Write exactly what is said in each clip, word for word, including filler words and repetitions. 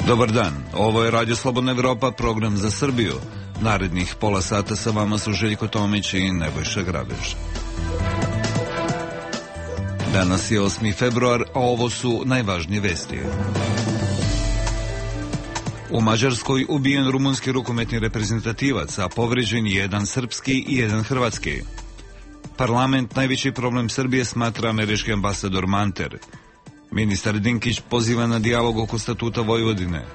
Dobar dan, ovo je Radio Slobodna Evropa, program za Srbiju. Narednih pola sata sa vama su Željko Tomić i Nebojša Grabež. Danas je osmi februar, a ovo su najvažnije vesti. U Mađarskoj ubijen rumunski rukometni reprezentativac, a povređen jedan srpski i jedan hrvatski. Parlament najveći problem Srbije smatra američki ambasador Manter. Ministar Dinkić poziva na dijalog oko statuta Vojvodine.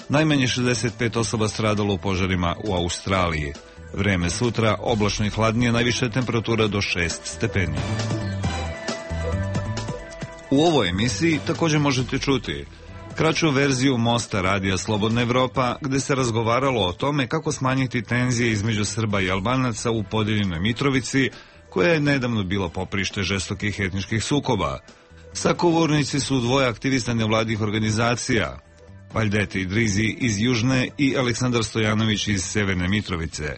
Najmanje šezdeset pet osoba stradalo u požarima u Australiji. Vreme sutra oblačno i hladnije, najviša temperatura do šest stepeni. U ovoj emisiji također možete čuti kraću verziju Mosta radija Slobodna Evropa, gde se razgovaralo o tome kako smanjiti tenzije između Srba i Albanaca u podeljenoj Mitrovici, koja je nedavno bila poprište žestokih etničkih sukoba. Sagovornici su dvoje aktivista nevladih organizacija, Vajdete Idrizi iz Južne i Aleksandar Stojanović iz Severne Mitrovice.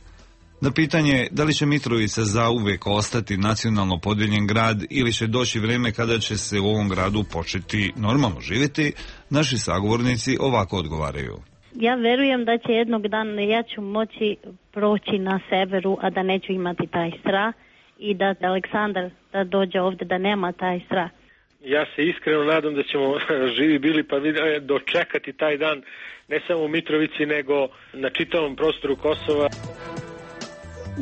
Na pitanje da li će Mitrovica zauvek ostati nacionalno podeljen grad ili će doći vreme kada će se u ovom gradu početi normalno živjeti, naši sagovornici ovako odgovaraju. Ja verujem da će jednog dana ja ću moći proći na severu, a da neću imati taj strah i da Aleksandar da dođe ovdje da nema taj strah. Ja se iskreno nadam da ćemo živi bili pa dočekati taj dan ne samo u Mitrovici nego na čitavom prostoru Kosova.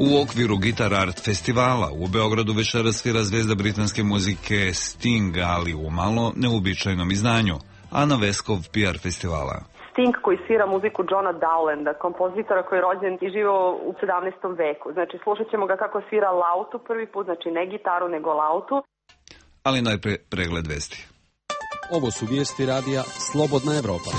U okviru Guitar Art festivala u Beogradu večeras svira zvezda britanske muzike Sting, ali u malo neuobičajenom izdanju. Ana Veskov, P R festivala. Sting koji svira muziku Johna Dowlanda, kompozitora koji je rođen i živio u sedamnaestom veku. Znači slušat ćemo ga kako svira lautu prvi put, znači ne gitaru nego lautu. Ali najpre pregled vesti. Ovo su vijesti radija Slobodna Evropa.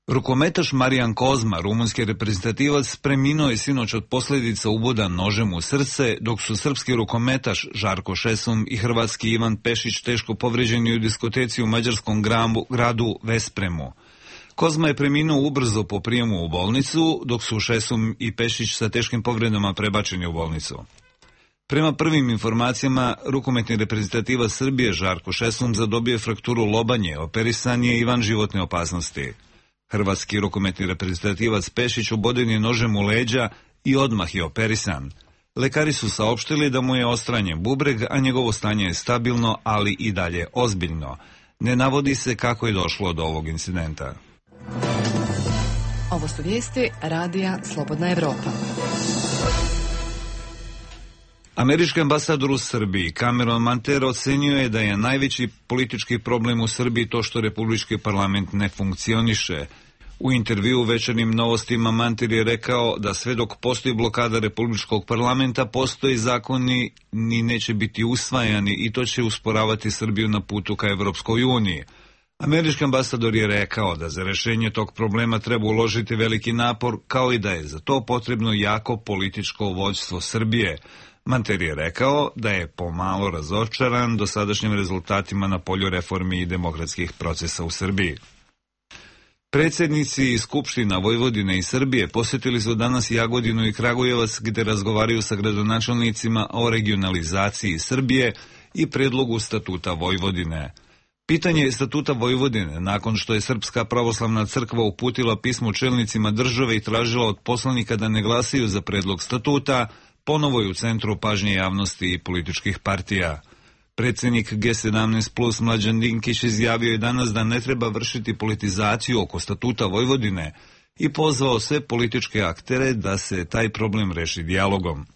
Rukometaš Marijan Kozma, rumunski reprezentativac, preminuo je sinoć od posljedica uboda nožem u srce, dok su srpski rukometaš Žarko Šesum i hrvatski Ivan Pešić teško povređeni u diskoteci u mađarskom gradu Vespremu. Kozma je preminuo ubrzo po prijemu u bolnicu, dok su Šesum i Pešić sa teškim povredama prebačeni u bolnicu. Prema prvim informacijama, rukometni reprezentativac Srbije Žarko Šesum zadobio je frakturu lobanje, operisan je i van životne opasnosti. Hrvatski rukometni reprezentativac Pešić uboden je nožem u leđa i odmah je operisan. Lekari su saopštili da mu je odstranjen bubreg, a njegovo stanje je stabilno, ali i dalje ozbiljno. Ne navodi se kako je došlo do ovog incidenta. Ovo su vijesti radija Slobodna Evropa. Američki ambasador u Srbiji Cameron Manter ocenio je da je najveći politički problem u Srbiji to što republički parlament ne funkcioniše. U intervju u Večernjim novostima Manter je rekao da sve dok postoji blokada republičkog parlamenta, postoji zakoni ni neće biti usvajani i to će usporavati Srbiju na putu ka Evropskoj uniji. Američki ambasador je rekao da za rešenje tog problema treba uložiti veliki napor, kao i da je za to potrebno jako političko vođstvo Srbije. Manter je rekao da je pomalo razočaran dosadašnjim rezultatima na polju reformi i demokratskih procesa u Srbiji. Predsjednici Skupština Vojvodine i Srbije posjetili su danas Jagodinu i Kragujevac, gde razgovaraju sa gradonačelnicima o regionalizaciji Srbije i predlogu statuta Vojvodine. Pitanje statuta Vojvodine, nakon što je Srpska pravoslavna crkva uputila pismo čelnicima države i tražila od poslanika da ne glasaju za predlog statuta, ponovo je u centru pažnje javnosti i političkih partija. Predsjednik G sedamnaest plus Mlađan Dinkić izjavio je danas da ne treba vršiti politizaciju oko statuta Vojvodine i pozvao sve političke aktere da se taj problem reši dijalogom.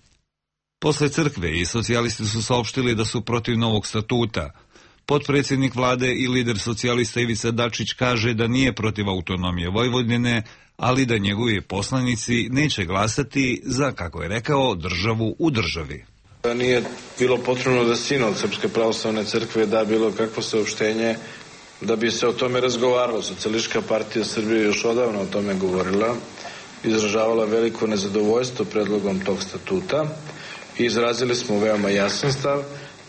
Posle crkve i socijalisti su saopštili da su protiv novog statuta. Potpredsjednik vlade i lider socijalista Ivica Dačić kaže da nije protiv autonomije Vojvodine, ali da njegovi poslanici neće glasati za, kako je rekao, državu u državi. Nije bilo potrebno da sinod Srpske pravoslavne crkve da bilo kakvo saopštenje da bi se o tome razgovaralo. Socijalistička partija Srbije još odavno o tome govorila, izražavala veliko nezadovoljstvo predlogom tog statuta i izrazili smo veoma jasan stav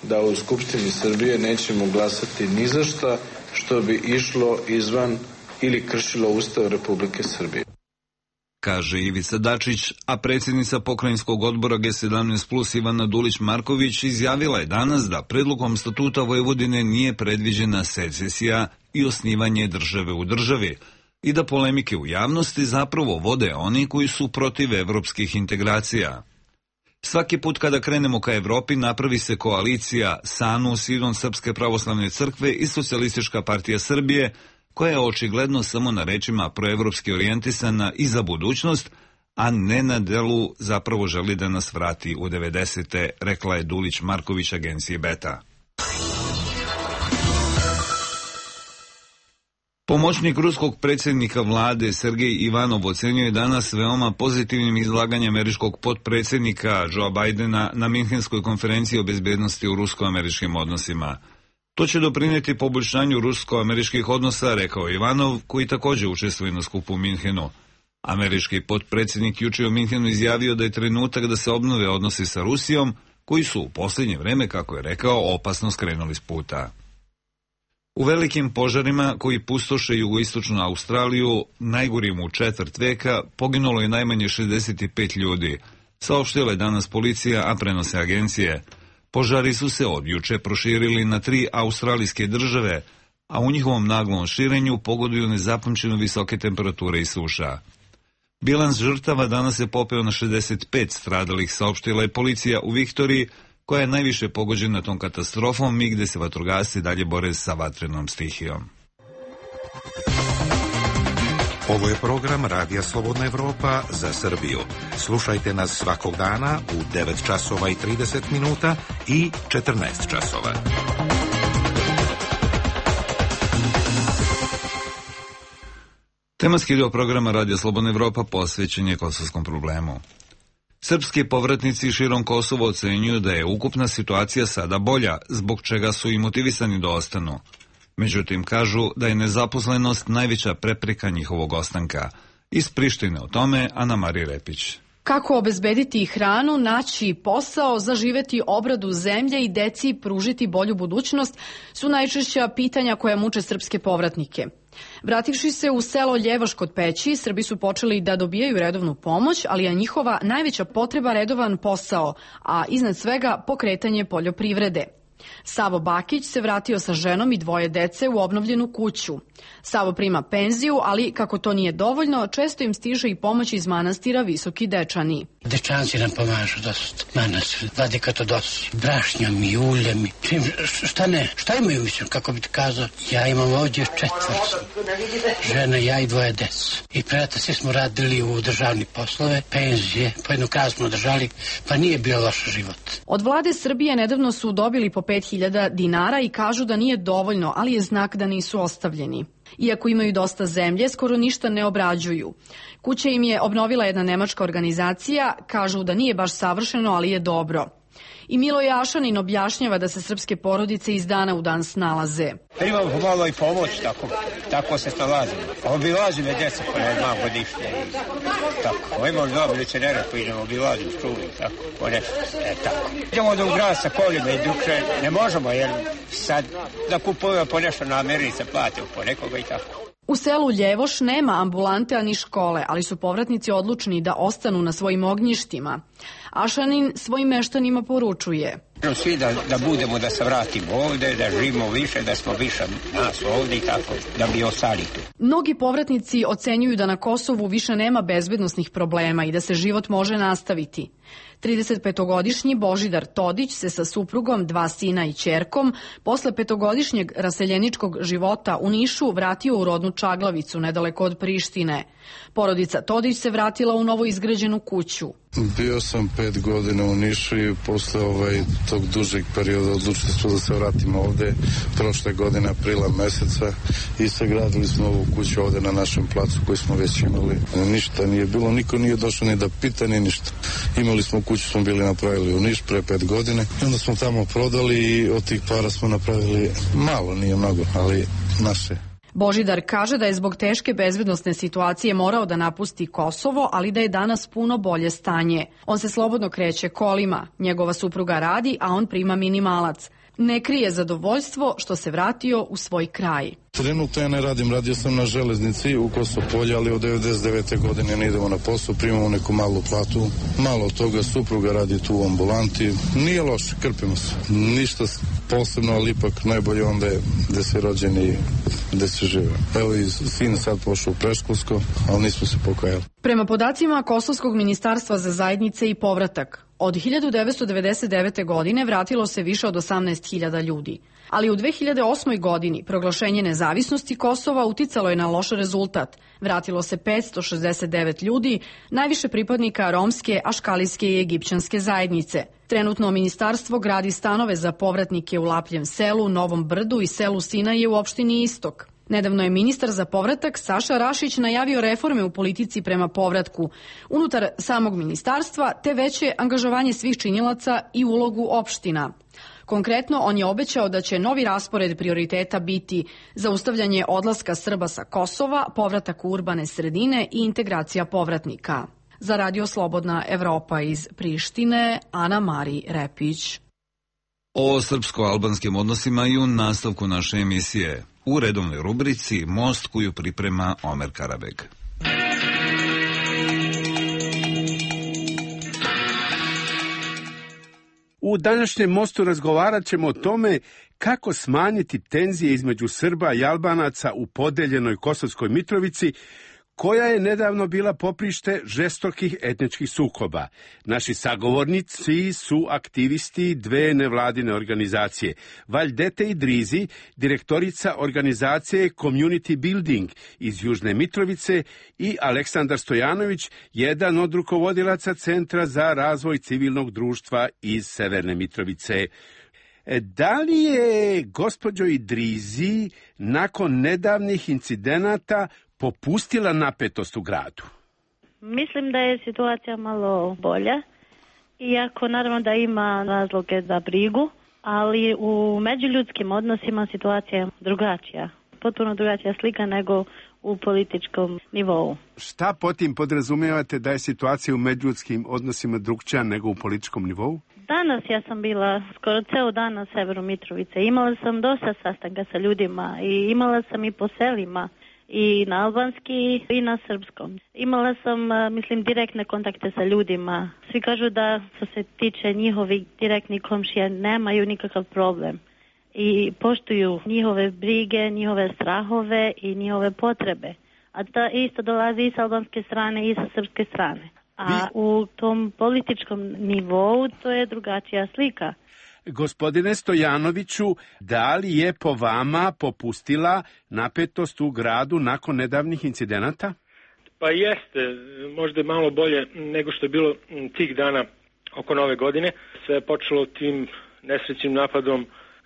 da u Skupštini Srbije nećemo glasati ni za šta što bi išlo izvan ili kršilo Ustav Republike Srbije. kaže Ivica Dačić, a predsjednica pokrajinskog odbora G sedamnaest plus Ivana Dulić-Marković izjavila je danas da predlogom statuta Vojvodine nije predviđena secesija i osnivanje države u državi i da polemike u javnosti zapravo vode oni koji su protiv evropskih integracija. Svaki put kada krenemo ka Evropi napravi se koalicija S A N U, Sidon Srpske pravoslavne crkve i Socijalistička partija Srbije, koja je očigledno samo na rečima proevropski orijentisana i za budućnost, a ne na delu zapravo želi da nas vrati u devedesete, rekla je Dulić-Marković agenciji Beta. Pomoćnik ruskog predsjednika vlade Sergej Ivanov ocenjuje danas veoma pozitivnim izlaganje američkog potpredsjednika Joea Bidena na Minhenskoj konferenciji o bezbednosti u rusko-američkim odnosima. To će doprineti poboljšanju rusko-američkih odnosa, rekao Ivanov, koji također učestvuje na skupu u Minhenu. Američki potpredsjednik juče u Minhenu izjavio da je trenutak da se obnove odnosi sa Rusijom, koji su u posljednje vreme, kako je rekao, opasno skrenuli s puta. U velikim požarima koji pustoše jugoistočnu Australiju, najgorim u četvrt veka, poginulo je najmanje šezdeset pet ljudi, saopštila je danas policija, a prenose agencije. Požari su se od juče proširili na tri australijske države, a u njihovom naglom širenju pogoduju nezapamćeno visoke temperature i suša. Bilans žrtava danas je popeo na šezdeset pet stradalih, saopštila je policija u Viktoriji, koja je najviše pogođena tom katastrofom i gde se vatrogasci dalje bore sa vatrenom stihijom. Ovo je program Radija Slobodna Evropa za Srbiju. Slušajte nas svakog dana u devet časova i trideset minuta i četrnaest časova. Tematski dio programa Radija Slobodna Evropa posvećen je kosovskom problemu. Srpski povratnici širom Kosova ocenjuju da je ukupna situacija sada bolja, zbog čega su i motivisani da ostanu. Međutim, kažu da je nezaposlenost najveća prepreka njihovog ostanka. Iz Prištine o tome Ana Marija Repić. Kako obezbediti hranu, naći posao, zaživeti obradu zemlje i deci pružiti bolju budućnost su najčešća pitanja koja muče srpske povratnike. Vrativši se u selo Ljevoš kod Peći, Srbi su počeli da dobijaju redovnu pomoć, ali je njihova najveća potreba redovan posao, a iznad svega pokretanje poljoprivrede. Savo Bakić se vratio sa ženom i dvoje dece u obnovljenu kuću. Savo prima penziju, ali kako to nije dovoljno, često im stiže i pomoć iz manastira Visoki Dečani. Dečanci nam pomažu dosta. Manastir, vladika to dosi. Brašnjom i uljem. Čim, šta ne? Šta imaju, mislim, kako bi ti kazao? Ja imam ovdje četvrt. Žena, ja i dvoje dece. I preta svi smo radili u državni poslove, penzije, po jednu kraju smo držali, pa nije bio loš život. Od vlade Srbije nedavno su dobili po pet hiljada dinara i kažu da nije dovoljno, ali je znak da nisu ostavljeni. Iako imaju dosta zemlje, skoro ništa ne obrađuju. Kuće im je obnovila jedna nemačka organizacija, kažu da nije baš savršeno, ali je dobro. I Milo Jašanin objašnjava da se srpske porodice iz dana u dan snalaze. Imamo pomalo i pomoć, tako, tako se snalazimo. Obilazi me djeca po ne dva godišnje. Tako, imamo dva milicionera koji idemo obilazi u školu, tako, po nešto, e, tako. Idemo da u grad sa kolima i drugče, ne možemo, jer sad da kupujemo po nešto na Americe, platimo po nekoga i tako. U selu Ljevoš nema ambulante ani škole, ali su povratnici odlučni da ostanu na svojim ognjištima. Ašanin svojim meštanima poručuje. Svi da, da budemo, da se vratimo ovde, da živimo više, da smo više nas ovde i tako, da bi ostali tu. Mnogi povratnici ocenjuju da na Kosovu više nema bezbednosnih problema i da se život može nastaviti. tridesetpetogodišnji Božidar Todić se sa suprugom, dva sina i ćerkom, posle petogodišnjeg raseljeničkog života u Nišu vratio u rodnu Čaglavicu, nedaleko od Prištine. Porodica Todić se vratila u novo izgrađenu kuću. Bio sam pet godina u Nišu i posle ovaj, tog dužeg perioda odlučili smo da se vratimo ovde prošle godine aprila meseca i sagradili smo ovu kuću ovde na našem placu koji smo već imali. Ništa nije bilo, niko nije došao ni da pita ni ništa. Imali smo kuću, smo bili napravili u Niš pre pet godine i onda smo tamo prodali i od tih para smo napravili malo, nije mnogo, ali naše. Božidar kaže da je zbog teške bezbednosne situacije morao da napusti Kosovo, ali da je danas puno bolje stanje. On se slobodno kreće kolima, njegova supruga radi, a on prima minimalac. Ne krije zadovoljstvo što se vratio u svoj kraj. Trenutno ja ne radim, radio sam na železnici u Kosopolju, ali od devedeset devete godine ne idemo na posao, primamo neku malu platu. Malo od toga, supruga radi tu u ambulanti. Nije loše, krpimo se. Ništa posebno, ali ipak najbolje onda je gde se rođeni i gde se žive. Evo i sin sad pošao u predškolsko, ali nismo se pokajali. Prema podacima Kosovskog ministarstva za zajednice i povratak, od hiljadu devetsto devedeset devete. godine vratilo se više od osamnaest hiljada ljudi. Ali u dve hiljade osmoj. godini proglašenje nezavisnosti Kosova uticalo je na loš rezultat. Vratilo se petsto šezdeset devet ljudi, najviše pripadnika romske, aškalijske i egipćanske zajednice. Trenutno ministarstvo gradi stanove za povratnike u Lapljem selu, Novom Brdu i selu Sinaje u opštini Istok. Nedavno je ministar za povratak Saša Rašić najavio reforme u politici prema povratku unutar samog ministarstva te veće angažovanje svih činilaca i ulogu opština. Konkretno, on je obećao da će novi raspored prioriteta biti zaustavljanje odlaska Srba sa Kosova, povratak u urbane sredine i integracija povratnika. Za Radio Slobodna Evropa iz Prištine, Ana Mari Repić. O srpsko-albanskim odnosima i u nastavku naše emisije. U redovnoj rubrici Most koju priprema Omer Karabeg. U današnjem Mostu razgovarat ćemo o tome kako smanjiti tenzije između Srba i Albanaca u podeljenoj Kosovskoj Mitrovici, koja je nedavno bila poprište žestokih etničkih sukoba. Naši sagovornici su aktivisti dve nevladine organizacije. Vajdete Idrizi, direktorica organizacije Community Building iz Južne Mitrovice, i Aleksandar Stojanović, jedan od rukovodilaca Centra za razvoj civilnog društva iz Severne Mitrovice. Da li je, gospođo Idrizi, nakon nedavnih incidenata popustila napetost u gradu? Mislim da je situacija malo bolja, iako naravno da ima razloge za brigu, ali u međuljudskim odnosima situacija je drugačija. Potpuno drugačija slika nego u političkom nivou. Šta po tim podrazumijevate da je situacija u međuljudskim odnosima drugčija nego u političkom nivou? Danas ja sam bila skoro ceo dan na severu Mitrovice. Imala sam dosta sastanka sa ljudima i imala sam i po selima. I na albanski i na srpskom. Imala sam, mislim, direktne kontakte sa ljudima. Svi kažu da što se tiče njihovih direktnih komšija nemaju nikakav problem. I poštuju njihove brige, njihove strahove i njihove potrebe. A to isto dolazi i sa albanske strane i sa srpske strane. A u tom političkom nivou to je drugačija slika. Gospodine Stojanoviću, da li je po vama popustila napetost u gradu nakon nedavnih incidenata? Pa jeste, možda malo bolje nego što je bilo tih dana oko Nove godine. Sve je počelo tim nesrećnim napadom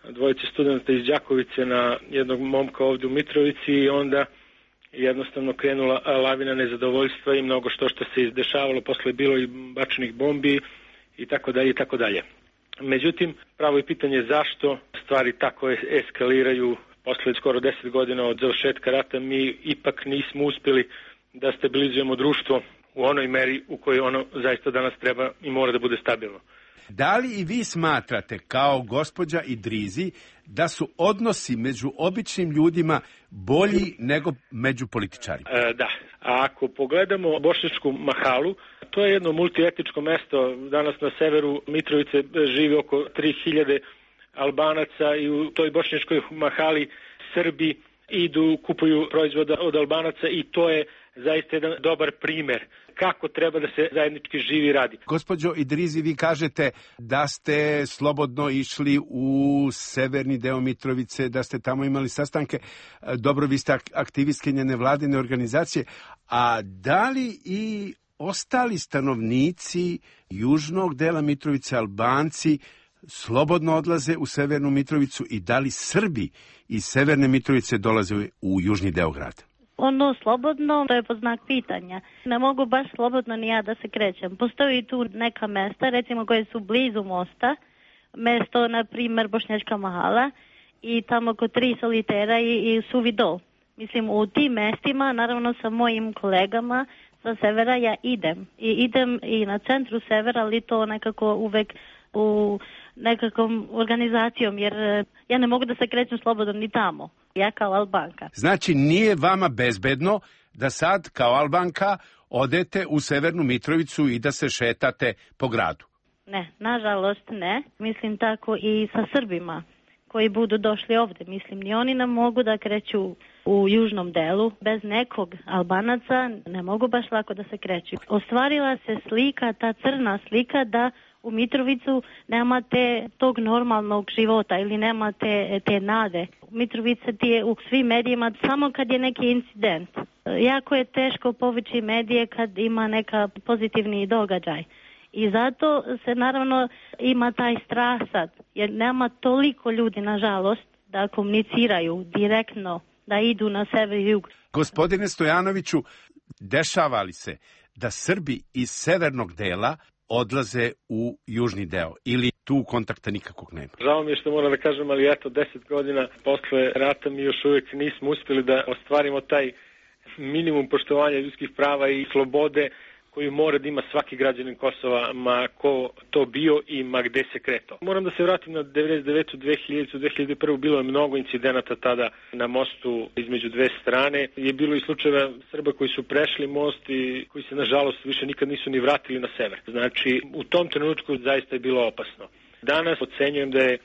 dvojice studenta iz Đakovice na jednog momka ovdje u Mitrovici i onda jednostavno krenula lavina nezadovoljstva i mnogo što što se izdešavalo, posle bilo i bačenih bombi i tako dalje i tako dalje. Međutim, pravo je pitanje zašto stvari tako eskaliraju. Posle skoro deset godina od završetka rata mi ipak nismo uspjeli da stabilizujemo društvo u onoj meri u kojoj ono zaista danas treba i mora da bude stabilno. Da li i vi smatrate, kao gospođa Idrizi, da su odnosi među običnim ljudima bolji nego među političarima? E, da. A ako pogledamo Bošnjačku mahalu, to je jedno multietničko mesto. Danas na severu Mitrovice živi oko tri hiljade Albanaca i u toj Bošnjačkoj mahali Srbi idu, kupuju proizvoda od Albanaca i to je zaista jedan dobar primer kako treba da se zajednički živi i radi. Gospođo Idrizi, vi kažete da ste slobodno išli u severni deo Mitrovice, da ste tamo imali sastanke. Dobro, vi ste aktivistkinja nevladine organizacije, a da li i ostali stanovnici južnog dela Mitrovice, Albanci, slobodno odlaze u severnu Mitrovicu i da li Srbi iz severne Mitrovice dolaze u južni deo grada? Ono slobodno, to je pod znak pitanja. Ne mogu baš slobodno ni ja da se krećem. Postoji tu neka mesta, recimo koje su blizu mosta, mesto, na primjer, Bošnjačka mahala i tamo oko tri solitera i, i Suvi dol. Mislim, u tim mestima, naravno sa mojim kolegama sa severa ja idem. I idem i na centru severa, ali to nekako uvek u nekakvom organizacijom, jer ja ne mogu da se krećem slobodno ni tamo, ja kao Albanka. Znači nije vama bezbedno da sad kao Albanka odete u Severnu Mitrovicu i da se šetate po gradu? Ne, nažalost ne. Mislim tako i sa Srbima koji budu došli ovde. Mislim, ni oni ne mogu da kreću u južnom delu. Bez nekog Albanaca ne mogu baš lako da se kreću. Ostvarila se slika, ta crna slika da u Mitrovicu nemate tog normalnog života ili nemate te nade. Mitrovica ti je u svim medijima samo kad je neki incident. Jako je teško povući medije kad ima neka pozitivni događaj. I zato se naravno ima taj strah sad, jer nema toliko ljudi, nažalost, da komuniciraju direktno, da idu na sever i jug. Gospodine Stojanoviću, dešava li se da Srbi iz severnog dela odlaze u južni deo ili tu kontakta nikakvog nema? Žao mi je što moram da kažem, ali eto, deset godina posle rata mi još uvijek nismo uspjeli da ostvarimo taj minimum poštovanja ljudskih prava i slobode koju mora da ima svaki građanin Kosova, ma ko to bio i ma gde se kretao. Moram da se vratim na devedeset devetu, dve hiljadite, dve hiljade prve. Bilo je mnogo incidenata tada na mostu između dve strane. Je bilo i slučajeva Srba koji su prešli most i koji se nažalost više nikad nisu ni vratili na sever. Znači, u tom trenutku zaista je bilo opasno. Danas ocenjujem da je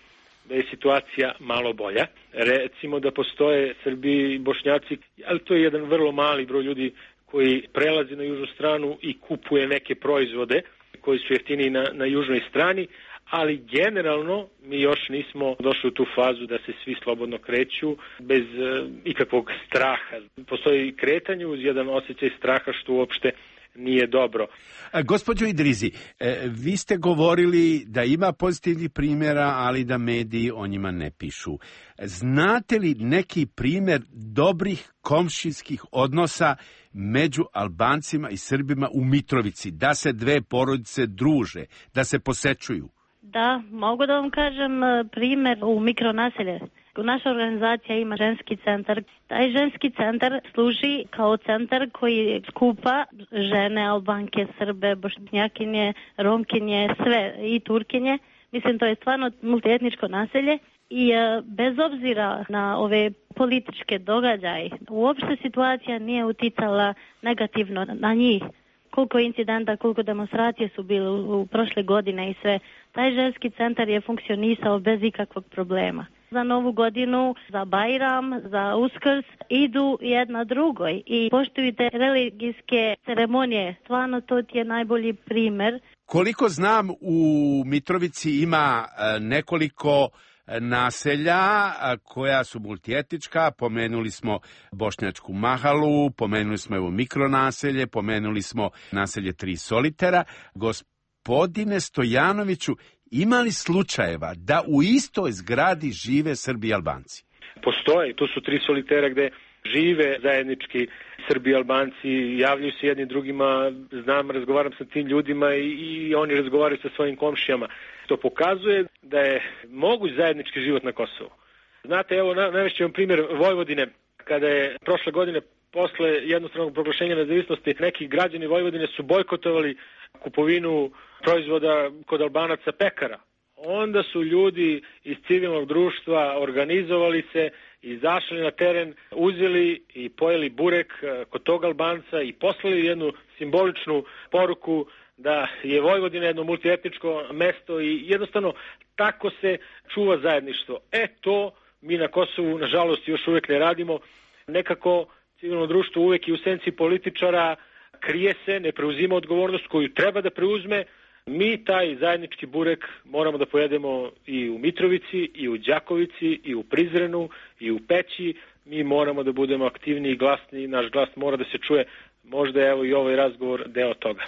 da je situacija malo bolja. Recimo da postoje Srbi i Bošnjaci, ali to je jedan vrlo mali broj ljudi koji prelazi na južnu stranu i kupuje neke proizvode koji su jeftiniji na, na južnoj strani, ali generalno mi još nismo došli u tu fazu da se svi slobodno kreću bez e, ikakvog straha. Postoji kretanje uz jedan osjećaj straha što uopšte nije dobro. A, gospođo Idrizi, e, vi ste govorili da ima pozitivnih primjera, ali da mediji o njima ne pišu. Znate li neki primjer dobrih komšijskih odnosa među Albancima i Srbima u Mitrovici, da se dve porodice druže, da se posečuju? Da, mogu da vam kažem primjer u mikronaselje. Naša organizacija ima ženski centar. Taj ženski centar služi kao centar koji skupa žene, Albanke, Srbe, Bošnjakinje, Romkinje, sve i Turkinje. Mislim, to je stvarno multietničko naselje i e, bez obzira na ove političke događaje, uopšte situacija nije uticala negativno na njih. Koliko incidenta, koliko demonstracije su bile u, u prošle godine i sve. Taj ženski centar je funkcionisao bez ikakvog problema. Za Novu godinu, za Bajram, za Uskrs idu jedna drugoj i poštuju te religijske ceremonije. Stvarno to ti je najbolji primjer. Koliko znam, u Mitrovici ima nekoliko naselja koja su multietnička. Pomenuli smo Bošnjačku Mahalu, pomenuli smo evo mikronaselje, pomenuli smo naselje Tri solitera. Gospodine Stojanoviću, ima li slučajeva da u istoj zgradi žive Srbi i Albanci? Postoje, tu su Tri solitera gde žive zajednički Srbi i Albanci, javljaju se jedni drugima, znam, razgovaram sa tim ljudima i, i oni razgovaraju sa svojim komšijama. To pokazuje da je moguć zajednički život na Kosovu. Znate, evo, navešću vam primjer Vojvodine, kada je prošle godine posle jednostranog proglašenja nezavisnosti neki građani Vojvodine su bojkotovali kupovinu proizvoda kod Albanaca pekara. Onda su ljudi iz civilnog društva organizovali se, izašli na teren, uzeli i pojeli burek kod tog Albanca i poslali jednu simboličnu poruku da je Vojvodina jedno multietničko mesto i jednostavno tako se čuva zajedništvo. E to mi na Kosovu nažalost još uvijek ne radimo. Nekako civilno društvo uvijek i u senci političara krije se, ne preuzima odgovornost koju treba da preuzme. Mi taj zajednički burek moramo da pojedemo i u Mitrovici, i u Đakovici, i u Prizrenu, i u Peći. Mi moramo da budemo aktivni i glasni, naš glas mora da se čuje. Možda je evo i ovaj razgovor deo toga.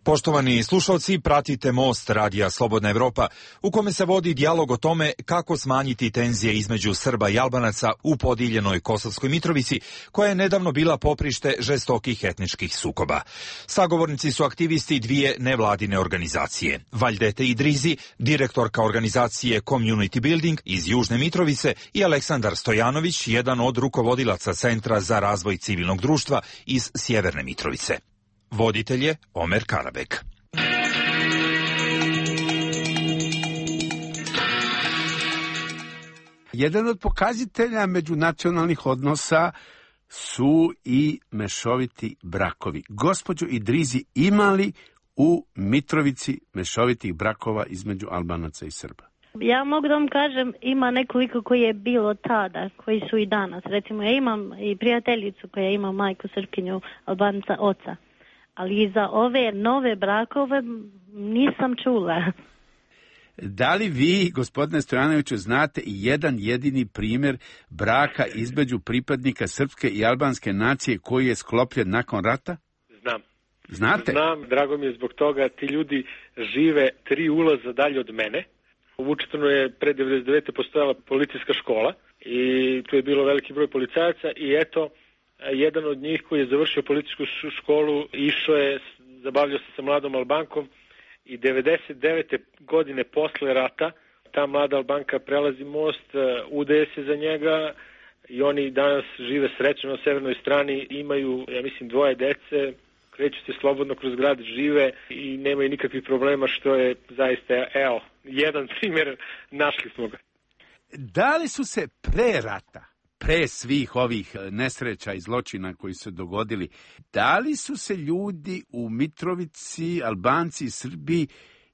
Poštovani slušalci, pratite Most radija Slobodna Evropa, u kome se vodi dijalog o tome kako smanjiti tenzije između Srba i Albanaca u podijeljenoj Kosovskoj Mitrovici, koja je nedavno bila poprište žestokih etničkih sukoba. Sagovornici su aktivisti dvije nevladine organizacije. Vajdete Idrizi, direktorka organizacije Community Building iz Južne Mitrovice, i Aleksandar Stojanović, jedan od rukovodilaca Centra za razvoj civilnog društva iz Sjeverne Mitrovice. Voditelj je Omer Karabek. Jedan od pokazatelja međunacionalnih odnosa su i mešoviti brakovi. Gospođo Idrizi, ima li u Mitrovici mešovitih brakova između Albanaca i Srba? Ja mogu da vam kažem, ima nekoliko koji je bilo tada, koji su i danas. Recimo, ja imam i prijateljicu koja ima majku Srpkinju, Albanca oca. Ali za ove nove brakove nisam čula. Da li vi, gospodine Stojanoviću, znate jedan jedini primjer braka između pripadnika srpske i albanske nacije koji je sklopljen nakon rata? Znam. Znate? Znam, drago mi je zbog toga. Ti ljudi žive tri ulaza dalje od mene. U Vučetrnu je pre devedeset devete postojala policijska škola i tu je bilo veliki broj policajaca i eto, jedan od njih koji je završio policijsku školu išao je, zabavljao se sa mladom Albankom i devedeset devete godine posle rata ta mlada Albanka prelazi most, udaje se za njega i oni danas žive srećno na severnoj strani, imaju, ja mislim, dvoje dece, kreću se slobodno kroz grad, žive i nemaju nikakvih problema, što je zaista, evo, jedan primjer, našli smo ga. Da li su se pre rata, pre svih ovih nesreća i zločina koji su dogodili, da li su se ljudi u Mitrovici, Albanci i Srbi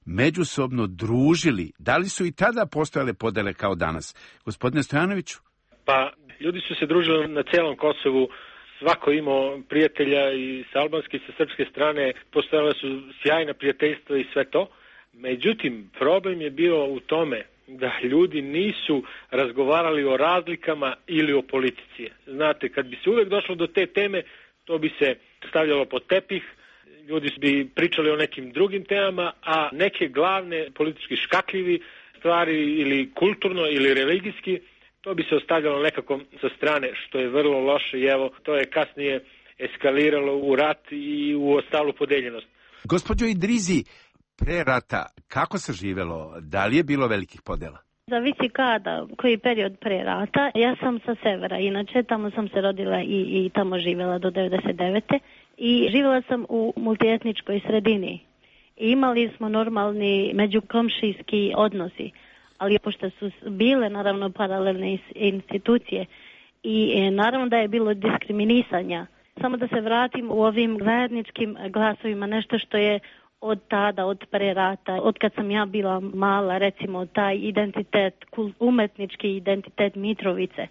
međusobno družili? Da li su i tada postojale podele kao danas? Gospodine Stojanoviću? Pa, ljudi su se družili na celom Kosovu, svako imao prijatelja i sa albanske i sa srpske strane, postojale su sjajna prijateljstva i sve to. Međutim, problem je bio u tome da ljudi nisu razgovarali o razlikama ili o politici. Znate, kad bi se uvek došlo do te teme, to bi se stavljalo pod tepih, ljudi bi pričali o nekim drugim temama, a neke glavne politički škakljivi stvari ili kulturno ili religijski, to bi se ostavljalo nekako sa strane, što je vrlo loše i evo, to je kasnije eskaliralo u rat i u ostalu podeljenost. Gospođo Idrizi, pre rata, kako se živelo? Da li je bilo velikih podela? Zavisi kada, koji period pre rata. Ja sam sa severa, inače tamo sam se rodila i, i tamo živjela do devedeset devete i živjela sam u multietničkoj sredini. I imali smo normalni međukomšijski odnosi, ali pošto su bile naravno paralelne institucije i naravno da je bilo diskriminisanja. Samo da se vratim u ovim zajedničkim glasovima, nešto što je od tada, od pre rata, od kad sam ja bila mala, recimo taj identitet, umetnički identitet Mitrovice,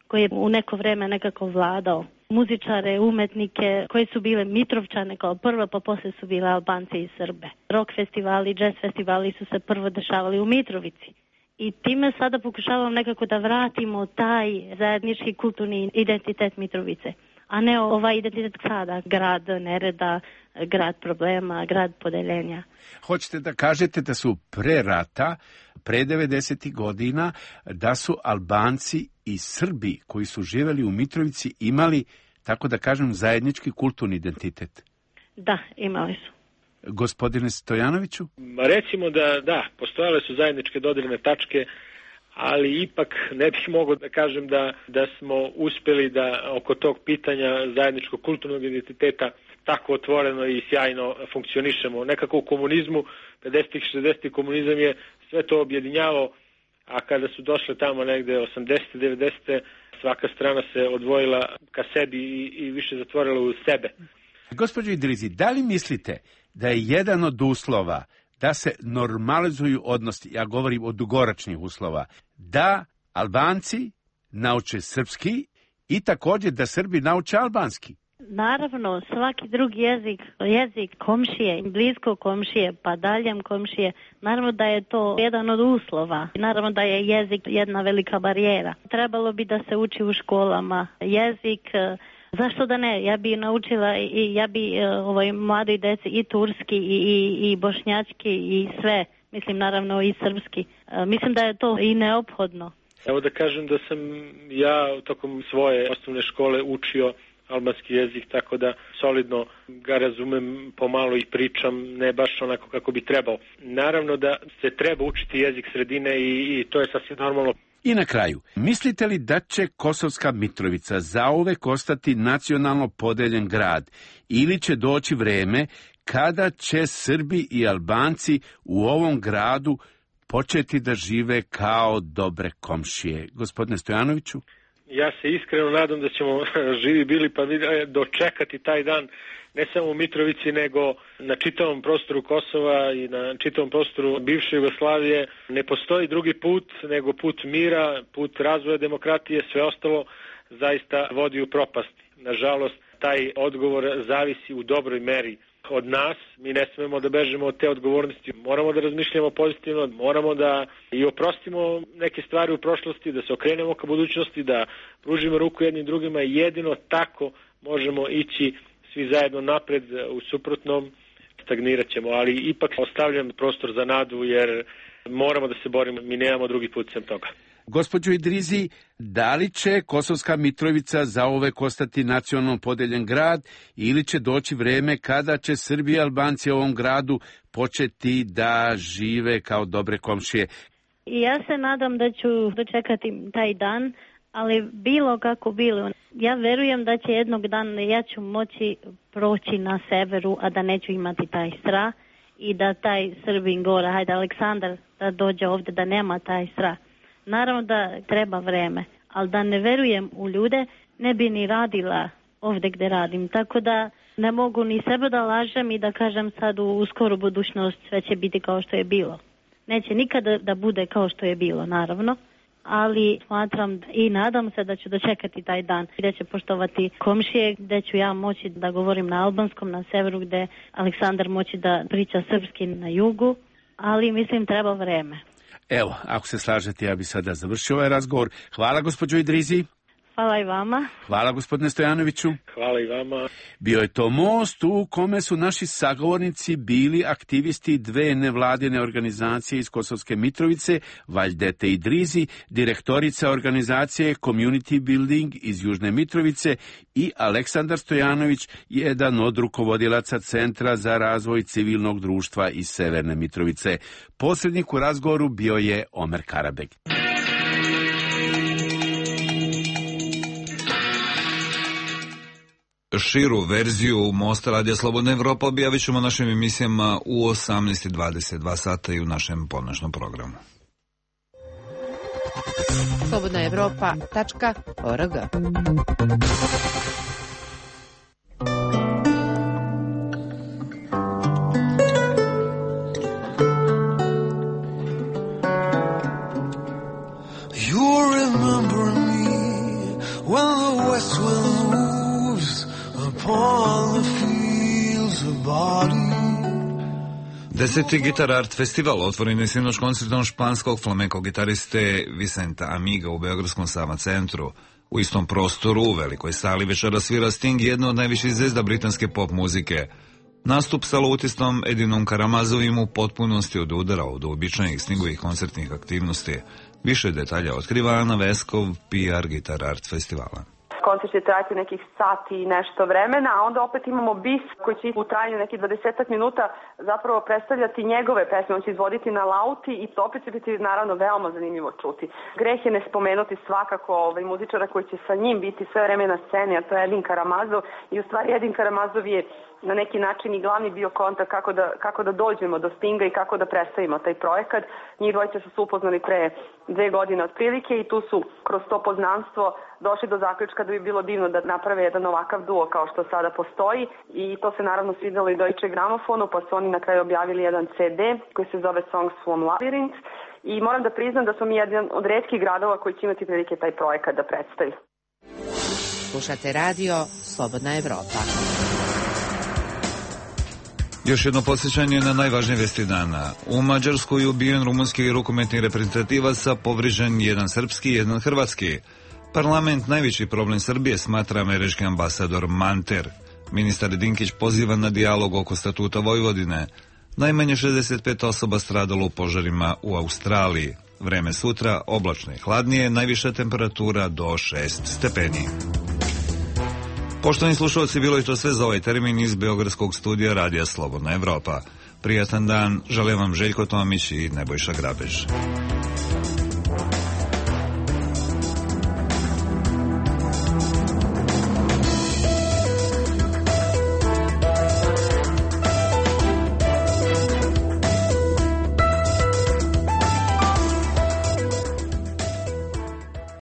koji je u neko vreme nekako vladao. Muzičare, umetnike koji su bile Mitrovčane kao prvo, pa posle su bile Albanci i Srbe. Rock festivali, jazz festivali su se prvo dešavali u Mitrovici. I time sada pokušavam nekako da vratimo taj zajednički kulturni identitet Mitrovice, a ne ovaj identitet sada, grad nereda, grad problema, grad podeljenja. Hoćete da kažete da su pre rata, pre devedesetih godina, da su Albanci i Srbi koji su živjeli u Mitrovici imali, tako da kažem, zajednički kulturni identitet? Da, imali su. Gospodine Stojanoviću? Recimo da, da, postojale su zajedničke dodirne tačke, ali ipak ne bih mogao da kažem da, da smo uspjeli da oko tog pitanja zajedničkog kulturnog identiteta tako otvoreno i sjajno funkcionišemo. Nekako u komunizmu, pedesetih šezdesetih komunizam je sve to objedinjavao, a kada su došle tamo negde osamdesete devedesete svaka strana se odvojila ka sebi i, i više zatvorila u sebe. Gospođo Idrizi, da li mislite da je jedan od uslova da se normalizuju odnosi, ja govorim o dugoročnih uslova, da Albanci nauče srpski i također da Srbi nauče albanski? Naravno, svaki drugi jezik, jezik komšije, blisko komšije, pa daljem komšije, naravno da je to jedan od uslova. Naravno da je jezik jedna velika barijera. Trebalo bi da se uči u školama jezik, Zašto da ne? Ja bi naučila i ja bi ovaj, mladoj deci i turski i, i, i bošnjački i sve. Mislim, naravno i srpski. Mislim da je to i neophodno. Evo da kažem da sam ja tokom svoje osnovne škole učio albanski jezik, tako da solidno ga razumem, pomalo i pričam, ne baš onako kako bi trebao. Naravno da se treba učiti jezik sredine i, i to je sasvim normalno. I na kraju, mislite li da će Kosovska Mitrovica zauvek ostati nacionalno podeljen grad ili će doći vreme kada će Srbi i Albanci u ovom gradu početi da žive kao dobre komšije? Gospodine Stojanoviću? Ja se iskreno nadam da ćemo živi bili pa dočekati taj dan ne samo u Mitrovici nego na čitavom prostoru Kosova i na čitavom prostoru bivše Jugoslavije. Ne postoji drugi put nego put mira, put razvoja demokratije, sve ostalo zaista vodi u propast. Nažalost, taj odgovor zavisi u dobroj meri od nas. Mi ne smemo da bežemo od te odgovornosti. Moramo da razmišljamo pozitivno, moramo da i oprostimo neke stvari u prošlosti, da se okrenemo ka budućnosti, da pružimo ruku jednim drugima i jedino tako možemo ići svi zajedno napred, u suprotnom stagnirat ćemo, ali ipak ostavljam prostor za nadu jer moramo da se borimo, mi nemamo drugi put sem toga. Gospođo Idrizi, da li će Kosovska Mitrovica zauvek ostati nacionalno podeljen grad ili će doći vreme kada će Srbi i Albanci u ovom gradu početi da žive kao dobre komšije? Ja se nadam da ću dočekati taj dan, ali bilo kako bilo. Ja verujem da će jednog dana ja ću moći proći na severu, a da neću imati taj strah i da taj Srbin gora, hajde Aleksandar, da dođe ovde, da nema taj strah. Naravno da treba vreme, ali da ne verujem u ljude, ne bi ni radila ovde gde radim. Tako da ne mogu ni sebe da lažem i da kažem sad u, u skoru budućnost sve će biti kao što je bilo. Neće nikada da bude kao što je bilo, naravno, ali smatram i nadam se da ću dočekati taj dan gde će poštovati komšije, gde ću ja moći da govorim na albanskom na severu, gde Aleksandar moći da priča srpski na jugu, ali mislim treba vreme. Evo, ako se slažete, ja bi sada završio ovaj razgovor. Hvala gospođo Idrizi. Hvala i vama. Hvala gospodine Stojanoviću. Hvala i vama. Bio je to most u kome su naši sagovornici bili aktivisti dve nevladine organizacije iz Kosovske Mitrovice, Vajdete Idrizi, direktorica organizacije Community Building iz Južne Mitrovice i Aleksandar Stojanović, jedan od rukovodilaca Centra za razvoj civilnog društva iz Severne Mitrovice. Posrednik u razgovoru bio je Omer Karabeg. Širu verziju Mosta Radija Slobodna Evropa objavit ćemo našim emisijama u osamnaest i dvadeset dva sata i u našem ponoćnom programu. slobodna evropa tačka org. You remember me when the west wind moves upon the fields of body. Deseti Guitar Art Festival otvoren je sinoć koncertom španskog flamenko gitariste Vicenta Amiga u Beogradskom Sava centru. U istom prostoru, u velikoj sali, večera svira Sting, jedna od najviših zvezda britanske pop muzike. Nastup sa lutistom Edinom Karamazovim u potpunosti od udara od uobičajenih Stingovih koncertnih aktivnosti. Više detalja otkriva Ana Veskov, P R Guitar Art Festivala. Koncert će trajati nekih sati i nešto vremena, a onda opet imamo bis koji će u trajanju nekih dvadesetak minuta zapravo predstavljati njegove pesme. On će izvoditi na lauti i to opet će biti naravno veoma zanimljivo čuti. Greh je ne spomenuti svakako ovaj muzičara koji će sa njim biti sve vreme na sceni, a to je Edin Karamazov. I u stvari Edin Karamazov je na neki način i glavni bio kontakt kako da, kako da dođemo do Stinga i kako da predstavimo taj projekat. Njih dvojica su se upoznali pre dve godine otprilike i tu su kroz to poznanstvo došli do zaključka da bi bilo divno da naprave jedan ovakav duo kao što sada postoji i to se naravno svidjelo i Deutsche Gramofonu, pa su oni na kraju objavili jedan C D koji se zove Songs from Labyrinth i moram da priznam da smo mi jedan od retkih gradova koji će imati prilike taj projekat da predstavi. Slušate radio Slobodna Evropa. Još jedno podsjećanje na najvažnije vesti dana. U Mađarskoj je ubijen rumunski rukometni reprezentativac, a povrijeđen jedan srpski i jedan hrvatski. Parlament najveći problem Srbije, smatra američki ambasador Manter. Ministar Dinkić poziva na dijalog oko statuta Vojvodine. Najmanje šezdeset pet osoba stradalo u požarima u Australiji. Vreme sutra oblačno i hladnije, najviša temperatura do šest stepeni. Poštovani slušalci, bilo je to sve za ovaj termin iz Beogradskog studija Radija Slobodna Evropa. Prijatan dan, želim vam Željko Tomić i Nebojša Grabež.